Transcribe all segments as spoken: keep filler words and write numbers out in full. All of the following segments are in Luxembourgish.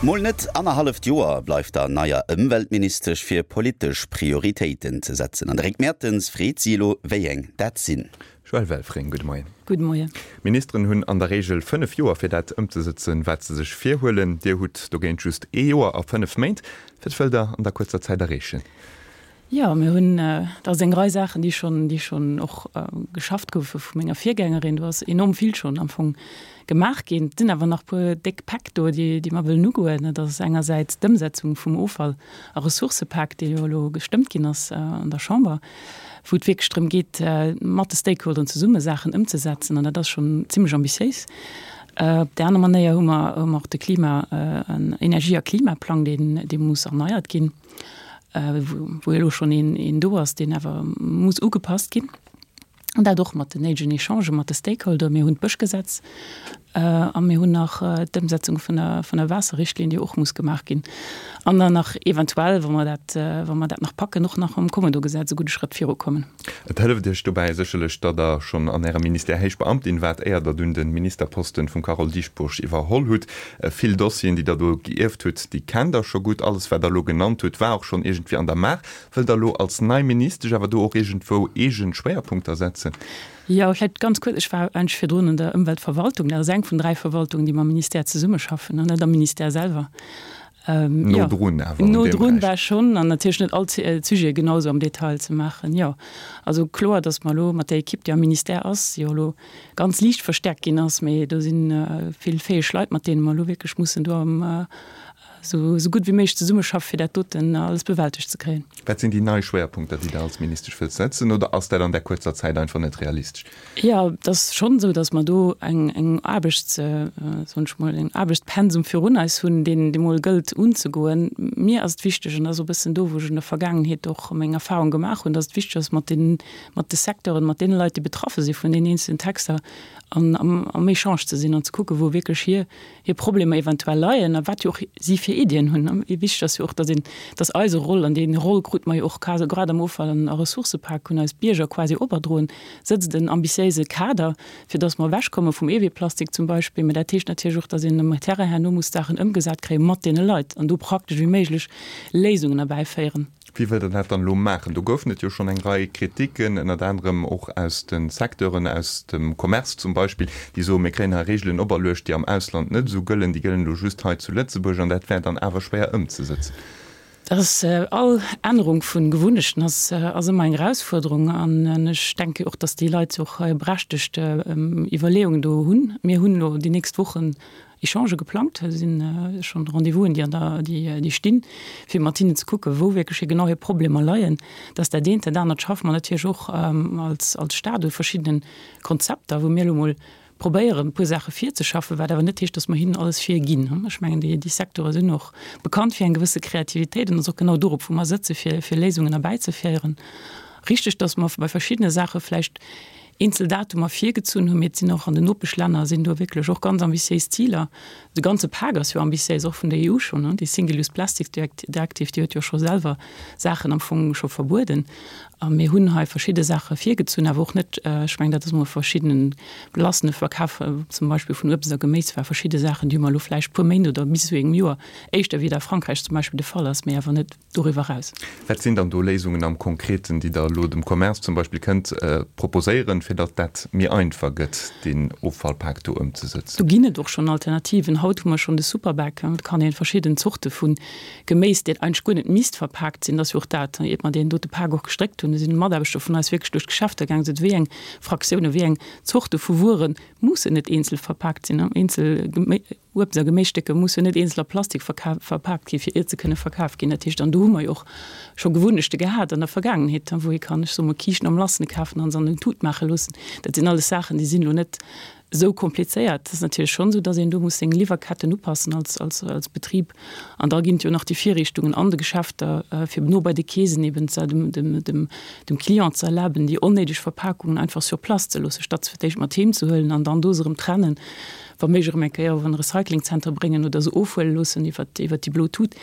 Mol net annerhalleft Joer bleift der neier Ëmweltministesch fir politesch Prioritéiten ze setzen. An de Rick Mertens freet si elo, wéi eng dat sinn. Joëlle Welfring, gudde Moien. Gudde Moien. Ministeren hunn an der Reegel fënnef Joer fir dat ëmzesëtzen, wat se sech virhuelen. Dir hutt dogéint just ee Joer a fënnef Méint. Wat wëllt Der an der kuerzer Zäit erreechen? Jo, mir hunn, dat ass eng Rei Saachen, déi schonn, déi schonn och geschafft goufe vu menger Virgängerin. Do ass enorm vill schonn am Fong gemaach ginn. Et sinn awer nach e puer déck Päck do, déi, déi mer wëllen ugoen. Dat ass engersäits d'Ëmsetzung vum Offall a Ressourcëpak, dee jo elo gestëmmt ginn ass an der Chamber, wou et wierklech drëm geet, mat de Stakeholderen zesumme Saachen ëmzesetzen. An dat ass schonn zimlech ambitiéis. Op där aner Manéier hu mer, hu mer och de Klima-, Energie a Klimaplang, deen, dee muss erneiert ginn. Wou elo schonn een do ass, deen awer muss ugepasst ginn, an dat och mat den néidegen Echangë mat de Stakeholder. Mir hunn d'Bëschgesetz a mir hunn nach d'Ëmsetzung vun der, vun der Waasserrichtlinn, déi och muss gemaach ginn. An dann nach eventuell, wa mer dat, wa mer dat nach packen, och nach mam Kommodogesetz e gudde Schrëtt virukommen. Et hëlleft Iech dobäi sécherlech, datt Der schonn an Ärem Ministère héich Beamtin waart, éier Der dunn de Ministerposten vum Carole Dieschbourg iwwerholl hutt. Vill Dossieren, déi Der do geierft hutt, déi kennt Der scho gutt. Alles, wat Der elo genannt hutt, war och schonn iergendwéi an der Maach. Wëllt Der elo als nei Ministesch awer do och iergendwou eegen Schwéierpunkter setzen? Jo, vläicht ganz kuerz, Ech war eigentlech virdrun an der Ëmweltverwaltung. Dat ass eng vun dräi Verwaltungen, déi mam Ministère zesummeschaffen, an net am Ministère selwer. No drun awer an No deem drun Beräich. war schonn, an natierlech net all d'Sujete genau esou am Detail ze maachen, jo. Also kloer, datt mer elo mat där Ekipp, déi am Ministère ass, déi jo elo ganz liicht verstärkt ginn ass, mee do si vill fäeg Leit, mat deene mer elo wierklech mussen do am esou gutt wéi méiglech zesummeschaffen, fir dat doten alles bewältegt ze kréien. Wat sinn déi nei Schwéierpunkter, déi Der als Ministesch wëllt setzen, oder ass dat an där kuerzer Zäit einfach net realistesch? Jo, et ass schonn esou, datt mer do eng, eng Aarbechts, soen ech mol, en Aarbechtspensum virun eis hunn, deen dee mol gëllt unzegoen. Mir ass et wichteg, an dat ass och e bëssen do, wou ech an der Vergaangenheet och meng Erfahrung gemaach hunn, datt et wichteg ass, mat den, mat de Secteuren, mat deene Leit, déi betraffe si vun deenen eenzelnen Texter, an am, am Echange ze sinn an ze kucken, wou wierklech hir, hir Problemer eventuell leien a wat jo och si fir Iddien hunn. Wichteg ass jo och, datt een, datt eise Roll, an dee Roll krute mer jo och quasi grad am Offall an a Ressourcëpak, hunn eis d'Bierger quasi operdroen, sëtzt en ambitiéise Kader, fir datt mer ewechkomme vum Eeweeplastik zum Beispill. Mä dat heescht natierlech och, datt een um Terrain herno muss Saachen ëmgesat kréie mat deene Leit an do praktesch wéi méiglech Léisungen erbäiféieren. Wéi wëllt Der dat dann elo maachen? Do goufen et jo schonn eng Rei Kritiken, ënnert anerem och aus de Secteuren, aus dem Commerce zum Beispill, déi soen, mir kréien hei Reegelen operluecht, déi am Ausland net esou gëllen, déi gëllen elo just hei zu Lëtzebuerg an dat wär dann awer schwéier ëmzesëtzen. Dat ass, all Ännerung vu Gewunnechten ass, ass ëmmer eng Erausfuerderung an ech denke och, datt déi Leit och berechtegt Iwwerleeungen do hunn. Mir hunn elo déi nächst Wochen Echangë geplangt, do si schonn Rendez-vousen, déi an der, déi, déi stinn, fir mat hinnen ze kucken, wou wierklech hir genau hir Problemer leien. Dat ass dat eent. Dat anert schaffe mer natierlech och als, als Stat u verschiddene Konzepter, wou mir elo emol probéieren, e puer Saache virzeschaffen, wat awer net heescht, dass mer hinnen alles virginn. Ech mengen, déi, déi Secteure sinn och bekannt fir eng gewësse Kreativitéit an et ass och genau dorop, wou mer sëtzen, fir, fir Léisungen erbäizeféieren. Richteg, dass mer bei verschiddene Saache vläicht eenzel Datumer virgezunn hunn, mee et sinn och an den Nopeschlänner sinn do wierklech och ganz ambitiéis Ziler. De ganze Pak ass jo ambitiéis, och vun der E U schonn. Déi Single-Use Plastics Directive, déi huet jo scho selwer Saachen am Fong scho verbueden. A mir hunn hei verschidde Saache virgezunn, awer och net, ech mengen, dat ass emol verschiddene belassene Verkaf zum Beispill vun Uebst a Geméis war, verschidde Saachen, déi hu mer elo vläicht e puer Méint oder bis zu engem Joer éischter, wéi et a Frankräich zum Beispill de Fall ass, mee awer net doriwwer eraus. Wat sinn dann do Léisungen am Konkreten, déi Der elo dem Commerce zum Beispill kënnt proposéieren, fir datt dat méi einfach gëtt, deen Offallpak do ëmzesëtzen? Do ginn et och schonn Alternativen. Haut hu mer schonn de Superbag. Et kann ee verschidden Zorte vu Geméis, dat eigentlech guer net misst verpaakt sinn, dat ass jo och dat, iert mer deen dote Pak och gestréckt hunn, do sinn Mataarbechter vun eis wierklech duerch d'Geschäfter gaangen, sot, wéi eng Fraktiounen, wéi eng Zorte vu Wuere mussen net eenzel verpaakt sinn, eenzel Uebst a Geméisstécker mussen net eenzel a Plastik verpaakt ginn, fir iert se kënne verkaf ginn. Dat heescht, an do hu mer jo och scho Gewunnechte gehat an der Vergaangenheet, wou ee kann, ech soe mol, Kiischten am Lassene kafen an se an en Tut maache loossen. Dat sinn alles Saachen, déi sinn elo net esou komplizéiert. Et ass natierlech schonn esou, datt een do muss seng Liwwerketten upassen als, als, als Betrib. An da ginn et jo nach déi Virriichtungen an de Geschäfter, fir no bei de Keesen eben ze, dem, dem, dem, dem Client ze erlaben, déi onnéideg Verpakungen einfach sur place ze loossen, statt se fir d'éischt mat heem ze huelen an dann do se erëm trennen. wa méiglech erëm eng Kéier op en Recyclingzenter bréngen oder se ofhuele loossen iwwer déi blo Tut.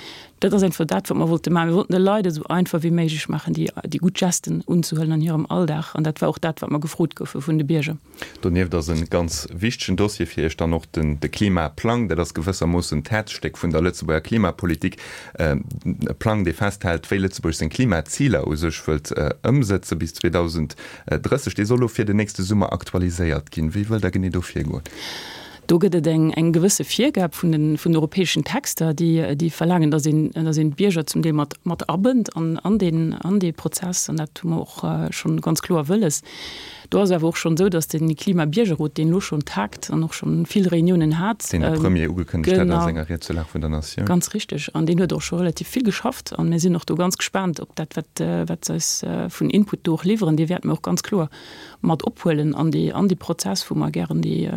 Dat ass einfach dat, wat mer wollte maachen. Mir wollten de Leit et esou einfach wéi méiglech maachen, déi, déi gutt Gesten unzehuelen an hirem Alldag. An dat war och dat, wat mer gefrot goufe vun de Bierger. Donieft ass e ganz wichtegen Dossier fir Iech dann och den, de Klimaplang. Dat ass gewëssermoossen d'Häerzstéck vun der Lëtzebuerger Klimapolitik. E Plang, dee festhält, wéi Lëtzebuerg seng Klimaziler u sech wëllt ëmsëtze bis zweedausend drësseg. Dee soll elo fir den nächste Summer aktualiséiert ginn. Wéi wëllt Der genee do virgoen? Do gëtt et eng, eng gewësse Virgab vun den, vun europäeschen Texter, déi, déi verlaangen, dass een, dass een d'Bierger zum Deel mat, mat abënnt an, an deen, an dee Prozess. An dat hu mer och schonn ganz kloer wëlles. Do ass awer och schonn esou, dass de Klimabiergerrot, deen elo schonn tagt an och schonn vill Reuniounen hat, Deen de Premier ugekënnegt hat a senger Ried zur Lag vun der Natioun. Ganz richteg. An deen huet och scho relativ vill geschafft. An mir sinn och do ganz gespaant op dat, wat, wat se eis vun Input do och liwweren. Dee wäerte mer och ganz kloer mat ophuelen an dee, an dee Prozess, wou mer gären dee,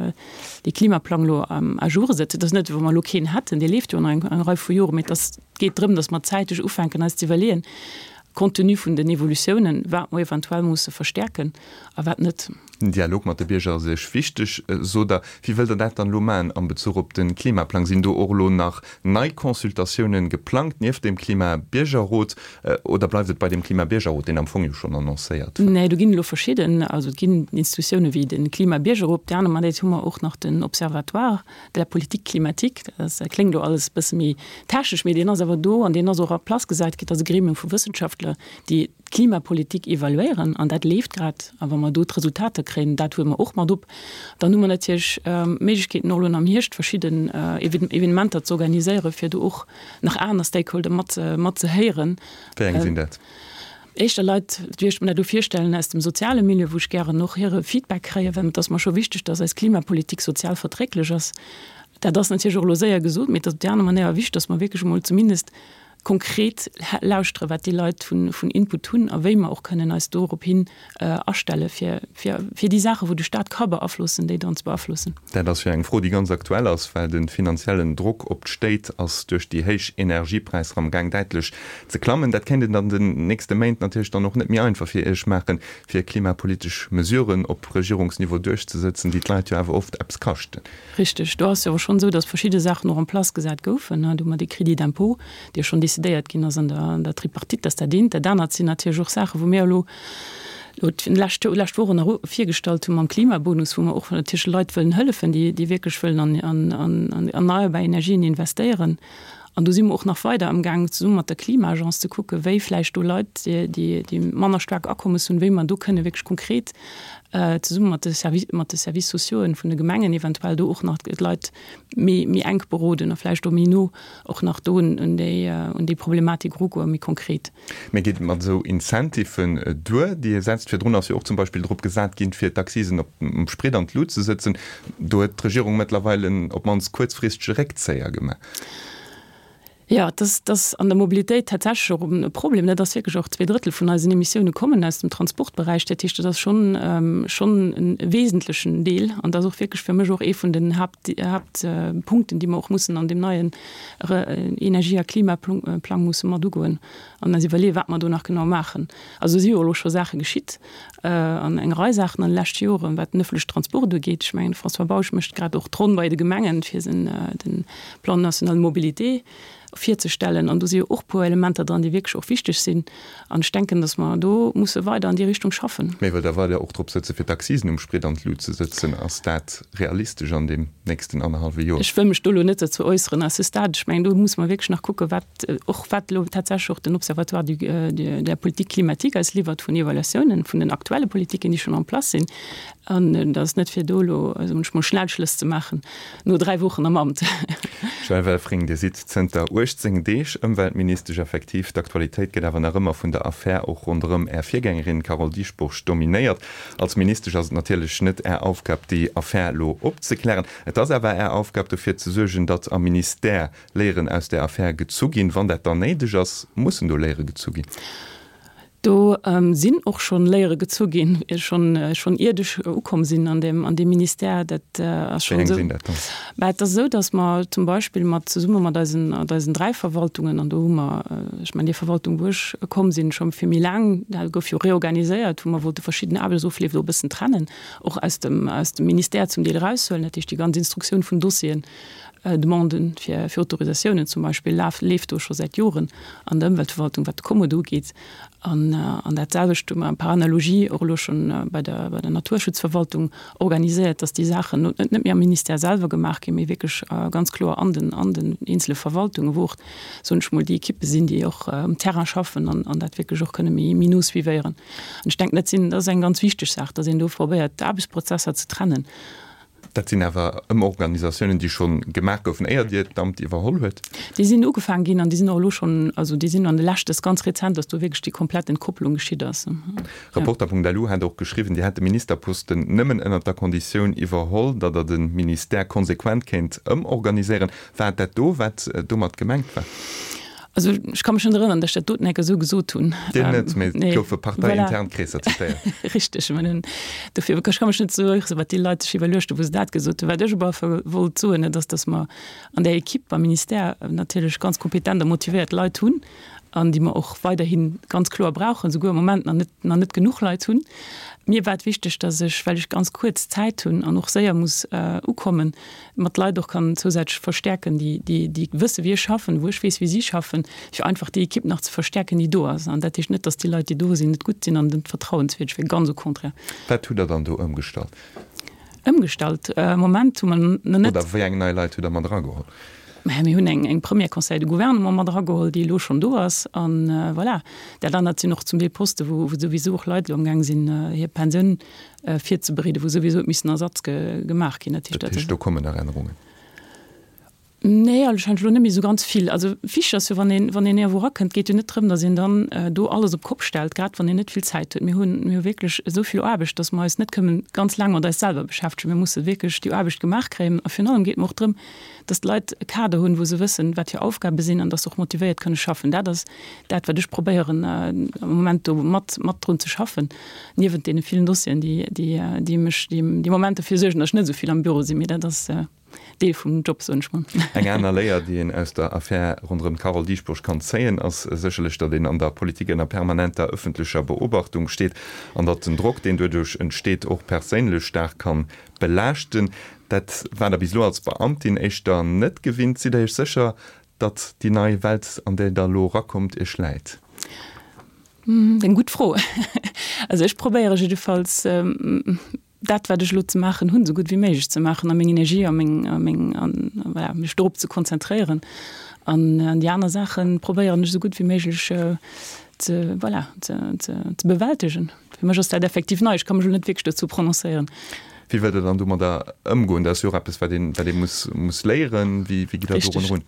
dee Klimaplang elo à jour setzen. Et ass net, wéi wa mer elo keen hätten, dee leeft jo nach eng, eng Rei vu Joren, mee et ass, et geet drëm, dass mer zäiteg ufänken eis ze iwwerleeën, compte tenu vun den Evolutiounen, wat mer eventuell musse verstärken a wat net. Den Dialog mat de Bierger ass Iech wichteg, sot Der. Wéi wëllt Der dat dann elo maachen am Bezuch op de Klimaplang? Sinn do och elo nach nei Consultatiounen geplangt nieft dem Klimabiergerrot oder bleift et bei dem Klimabiergerrot, deen am Fong jo schonn annoncéiert war? Nee, do ginn elo verschidden, also et ginn Institutiounen wéi de Klimabiergerrot. Op där aner Säit hu mer och nach den Observatoire de la politique climatique. Dat kléngt elo alles e bësse méi technesch, mee deen ass awer do an deen ass och en place gesat ginn. Dat ass e Gremium vu Wëssenschaftler, déi d'Klimapolitik evaluéieren an dat leeft grad. A wa mer do d'Resultater kréien, dat huele mer och mat op. Dann hu mer natierlech d'Méiglechkeeten, och elo am Hierscht verschidden Evenementer ze organiséieren, fir do och nach aner Stakeholder mat mat ze héieren. Wéi eng sinn dat? Éischter Leit, wéi ech mer dat do virstellen, aus dem soziale Milieu, wou ech gären och hire Feedback kréien, well et ass mer scho wichteg, dass eis Klimapolitik sozial verträglech ass. Dat ass natierlech och elo séier gesot, mee et ass op déi aner Manéier wichteg, dass mer wierklech emol zumindest konkret lauschtere wat déi Leit vun Input hunn a wéi mer och kënnen eis dorop hin astelle fir fir déi Saachen, wou de Staat ka beaflossen, déi dann ze beaflossen. Dat ass jo eng Fro, déi ganz aktuell ass, well de finanziellen Drock op d'Stéit ass duerch déi héich Energiepräisser am Gaang däitlech ze klammen. Dat kéint et an den nächste Méint natierlech dann och net méi einfach fir Iech maachen, fir klimapolitesch Mesuren op Regierungsniveau duerchzesëtzen, déi d'Leit jo awer oft eppes kaschten. Richteg. Do ass jo awer schonn esou, datt verschidde Saachen och en place gesat goufen. Do hu mer dee Crédit d'impôt, dee schonn decidéiert ginn ass an der, an der Tripartite, datt dat eent. Dat anert sinn natierlech och Saachen, wou mir elo elo d'lescht, lescht Woch nach virgestallt hu mam Klimabonus, wou mer och natierlech Leit wëllen hëllefen, déi, déi wierklech wëllen an, an, an erneierbar Energien investéieren. An do si mer och nach weider amgaang, zesumme mat der Klima-Agence ze kucken, wéi vläicht do Leit, déi, déi manner staark Akommes hunn, wéi mer do kënne wierklech konkret zesumme mat de Service, mat de Services sociauxen vun de Gemengen eventuell do och nach d'Leit méi, méi enk beroden a vläicht och méi no och nach do un déi, un déi Problematik erugoen, méi konkret. Mee geet et mat esou Incentiven duer, déi ee setzt? Virdrun ass jo och zum Beispill drop gesat ginn, fir d'Accisen op um Sprit an d'Lut ze sëtzen. Do huet d'Regierung mëttlerweil en op d'mannst kuerzfristege Réckzéier gemaach. Jo, dat ass an der Mobilitéit tatsächlech och e Problem. Dat ass wierklech och, zwee Drëttel vun eisen Emissioune kommen aus dem Transportberäich. Dat heescht, dat ass schonn, schonn e wesentlechen Deel an dat ass och wierklech fir mech och ee vun den Haapt, Haaptpunkten, déi mer och mussen an deem neien Energie a Klimaplang musse mat ugoen an eis iwwerleeën, wat mer do nach genau maachen. Also si jo elo scho Saache geschitt an eng Rei Saachen an de leschte Joren, wat den ëffentlechen Transport ugeet. Ech mengen, de François Bausch mécht grad och d'Ronn bei de Gemengen, fir de Plan national de mobilité virzestellen. An do si jo och e puer Elementer dran, déi wierklech och wichteg sinn. An ech denken, datt mer do musse weider an déi Richtung schaffen. Mee wëllt Der weider och drop sëtzen, fir d'Accisen um Sprit an d'Lut ze sëtzen? Ass dat realistesch an deem nächsten annerhallwe Joer? Ech wëll mech do elo net dozou äusseren à ce stade. Ech mengen, do musse mer wierklech nach kucken, wat och wat elo tatsächlech och den Observatoire du, de la politique climatique eis liwwert vun Evaluatiounen vun den aktuelle Politiken, déi schonn en place sinn. An et ass net fir do elo, soen ech mol, Schnellschlëss ze maachen no dräi Wochen am Amt. Joëlle Welfring, Dir sidd zënter uechtzéng Deeg Ëmweltministesch. Effektiv, d'Aktualitéit gëtt awer nach ëmmer vun der Affär och ronderëm Är Virgängerin Carole Dieschbourg dominéiert. Als Ministesch ass et natierlech net Är Aufgab, déi Affär elo opzeklären. Et ass awer Är Aufgab, dofir ze suergen, datt am Ministère Léieren aus där Affär gezu ginn. Wann dat dann néideg ass, mussen do Léiere gezu ginn. Do sinn och schonn Léiere gezu ginn, schonn schonn iert ech ukomm sinn an deem an deem Ministère. Dat ass schonn esou. Mä et ass esou, datt mer zum Beispill mat zesumme mat eisen mat eisen dräi Verwaltungen, an do hu mer, ech mengen déi Verwaltung wou ech komm sinn, scho fir méi laang, dat gouf jo reorganiséiert, wou mer wollte verschidden Aarbechtsofleef do e bëssen trennen, och aus dem aus dem Ministère zum Deel eraushuelen, dat heescht déi ganz Instruktioun vun Dossieren, Demanden fir fir Autorisatiounen zum Beispill laf leeft do scho säit Joren an der Ëmweltverwaltung, wat de Kommodo ugeet. An an dat selwecht hu mer par analogie och elo schonn bei der bei der Naturschutzverwaltung organiséiert, dass déi Saachen net net méi am Ministère selwer gemaach ginn, mee wierklech ganz kloer an den an den eenzele Verwaltungen, wou och, soen ech mol, déi Ekippe sinn, déi och um Terrain schaffen an an dat wierklech och kënne méi méi no suivéieren. An ech denken, dat sinn dat ass eng ganz wichteg Saach, dass een do probéiert, d'Aarbechtsprozesser ze trennen. Dat sinn awer Ëmorganisatiounen, déi scho gemaach goufen, éier Dir d'Amt iwwerholl huet? Déi sinn ugefaangen ginn an déi sinn och elo schonn, also déi sinn an de leschte, dat ass ganz rezent, datt do wierklech déi komplett Entkopplung geschitt ass. Reporter.lu hat och geschriwwen, Dir hätt de Ministerposten nëmmen ënnert der Konditioun iwwerholl, datt Der de Ministère konsequent kéint ëmorganiséieren. War et dat do, wat domat gemengt war? Also ech ka mech net erënneren, datt ech dat doten enke esou gesot hunn. Dir net, mee et goufe parteiintern Kreesser zitéiert. Richteg, mä nun, dofir, ech ka mech net esou erënneren, wat déi Leit sech iwwerluecht hunn, wou se dat gesot hunn. Wat ech awer wollt soen, dat ass, datt mer an där Equipe am Ministère natierlech ganz kompetent a motivéiert Leit hunn an déi mer och weiderhi ganz kloer brauchen, souguer am Moment nach net, nach net genuch Leit hunn. Mir war et wichteg, datt ech, well ech ganz kuerz Zäit hunn an och séier muss ukommen, mat Leit och kann zousätzlech verstäerken, déi, déi, déi wësse wéi ech schaffen, wou ech weess wéi si schaffen, fir einfach déi Equipe nach ze verstäerken, déi do ass. An dat heescht net, datt déi Leit, déi do sinn, net gutt sinn an net vertrauenswierdeg wieren, ganz au contraire. Wat hutt Der dann do ëmgestallt? Ëmgestallt? Am Moment hu mer nach net. Oder wéi eng nei Leit hutt Der mat erageholl? Mä mir hunn eng, eng Première Conseil de gouvernement mat erageholl, déi elo schonn do ass. An voilà, dat anert sinn och zum Deel Poste wou, wou souwisou och Leit elo amgaang sinn, hir Pensioun virzebereeden, wou souwisou huet missen Ersatz gemaach ginn. Dat heescht, dat heescht, do kommen nach Ännerungen? Nee, anscheinend elo net méi esou ganz vill. Also wichteg ass jo, wann een, wann een iergendwou erakënnt, geet jo net drëm, datt een dann do alles op d'Kopp stellt, grad wann een net vill Zäit huet. Mir hunn, mir hu wierklech esou vill Aarbecht, datt mer eis net kënnen ganz laang mat eis selwer beschäftegen. Mir musse wierklech déi Aarbecht gemaach kréien. A virun allem geet mer och drëm, datt d'Leit e Kader hunn, wou se wëssen, wat hir Aufgabe sinn an datt se och motivéiert kënne schaffen. Dat ass dat, wat ech probéieren am Moment do mat, mat drun ze schaffen, niewent deene villen Dossieren, déi, déi, déi mech, déi am Moment derfir suergen, datt ech net esou vill am Büro sinn. Mee dat ass. Deel vum Job, soen ech mol. Eng aner Léier, déi een aus der Affär ronderëm d'Carole Dieschbourg kann zéien, ass sécherlech, datt een an der Politik ënner permanenter ëffentlecher Beobachtung steet an datt den Drock, deen doduerch entsteet, och perséinlech staark kann belaaschten. Dat war Der bis elo als Beamtin éischter net gewinnt. Sidd Der Iech sécher, datt déi nei Welt, an déi Der elo erakommt, Iech läit? Eng gutt Fro. Also ech probéiere jiddefalls, dat wat ech elo ze maachen hunn, esou gutt wéi méiglech ze maachen a meng Energie a meng, a meng, an voilà, mech dorop ze konzentréieren. An déi aner Saache probéieren ech esou gutt wéi méiglech ze, voilà, ze, ze, ze bewältegen. Fir mech ass dat effektiv nei, ech ka mech elo net wierklech dozou prononcéieren. Wéi wëllt Der dann domadder ëmgoen? Dat ass jo och eppes, wat een, wat ee muss, muss léieren. Wéi, wéi gitt Der dorun Richteg. erun?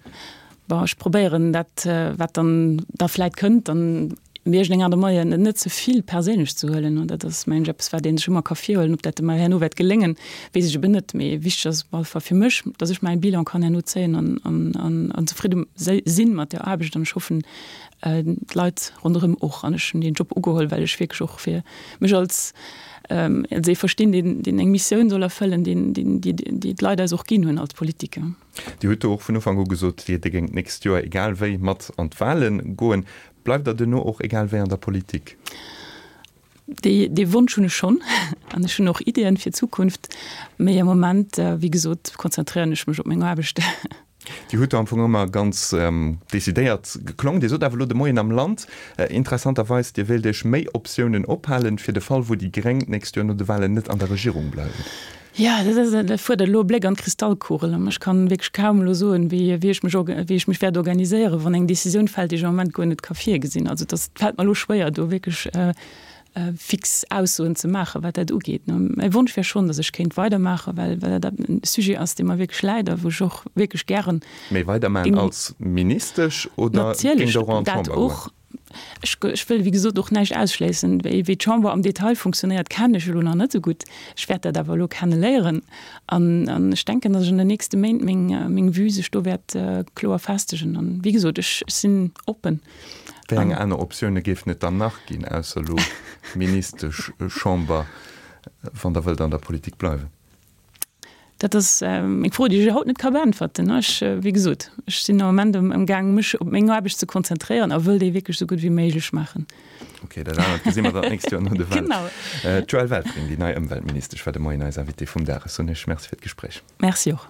Bon, ech probéieren dat, wat dann da vläit kënnt, dann op iergendeng Aart a Manéier net ze vill perséinlech ze huelen. An dat ass, mengen ech, eppes, wat ee sech ëmmer ka virhuelen. Ob dat ëmmer herno wäert geléngen, weess ech eben net. Mee wichteg ass op alle Fall fir mech, datt ech mäi Bilan kann herno zéien an, an, an, an zefridde si mat der Aarbecht. An ech hoffen, d'Leit ronderëm och. An ech hunn deen Job ugeholl, well ech wierklech och fir mech als, als ee verstinn, deen, deen eng Missioun soll erfëllen, deen, deen, déi, déi d'Leit eis och ginn hunn als Politiker. Dir hutt do och vun Ufank u gesot, Dir géingt d'nächst Joer egal wéi mat an d'Wahlen goen. Bleift Der duerno och egal wéi an der Politik? Dee, dee Wonsch hunn ech schonn an ech hunn och Ideeën fir d'Zukunft. Mee am Moment, wéi gesot, konzentréieren ech mech op meng Aarbecht. Dir hutt do am Fong ëmmer ganz decidéiert geklongen. Dir sot awer elo de Moien am Land interessanterweis, Dir wéilt Iech méi Optiounen ophalen, fir de Fall, wou déi Gréng d'nächst Joer no de Wahlen net an der Regierung bleiwen. Jo, dat fuerdert elo e Bléck an d'Kristallkugel. Ech kann wierklech kaum elo soen, wéi ech mech, wéi ech mech wäert organiséieren, wann eng Decisioun fält, déi ech am Moment guer net ka virgesinn. Also dat fält mer elo schwéier, do wierklech fix Aussoen ze maachen, wat dat ugeet. Mäi Wonsch wär schonn, datt ech kéint weidermaachen, well dat e Sujet ass, dee mer wierklech läit a wou ech och wierklech gären. Méi weidermaachen als Ministesch oder géingt Der och an d'Chamber goen? Natierlech, dat och. Ech wëll, wéi gesot, och näischt ausschléissen. Wéi d'Chamber am Detail funktionéiert, kennen ech elo nach net esou gutt. Ech wäert dat awer elo kenne léieren an ech denken, datt ech an den nächste Méint meng Vue sech do wäert kloer festegen. An, wéi gesot, ech sinn oppen Wéi eng aner Optioune géifen et dann nach ginn, ausser elo Ministesch, Chamber, wann Der wëllt an der Politik bleiwen? Dat ass eng Fro, déi ech haut net ka beäntwerten. Ech, wéi gesot, ech sinn am Ament amgaang, mech op meng Aarbecht ze konzentréieren a wëll déi wierklech esou gutt wéi méiglech maachen. Ok, dat anert gesi mer dann d'nächst Joer no de Wahlen. Genau. D'Joëlle Welfring, déi nei Ëmweltministesch, war de Moien eis Invitée vum Dag. Ech soen Iech Merci fir d'Gespréich. Merci och.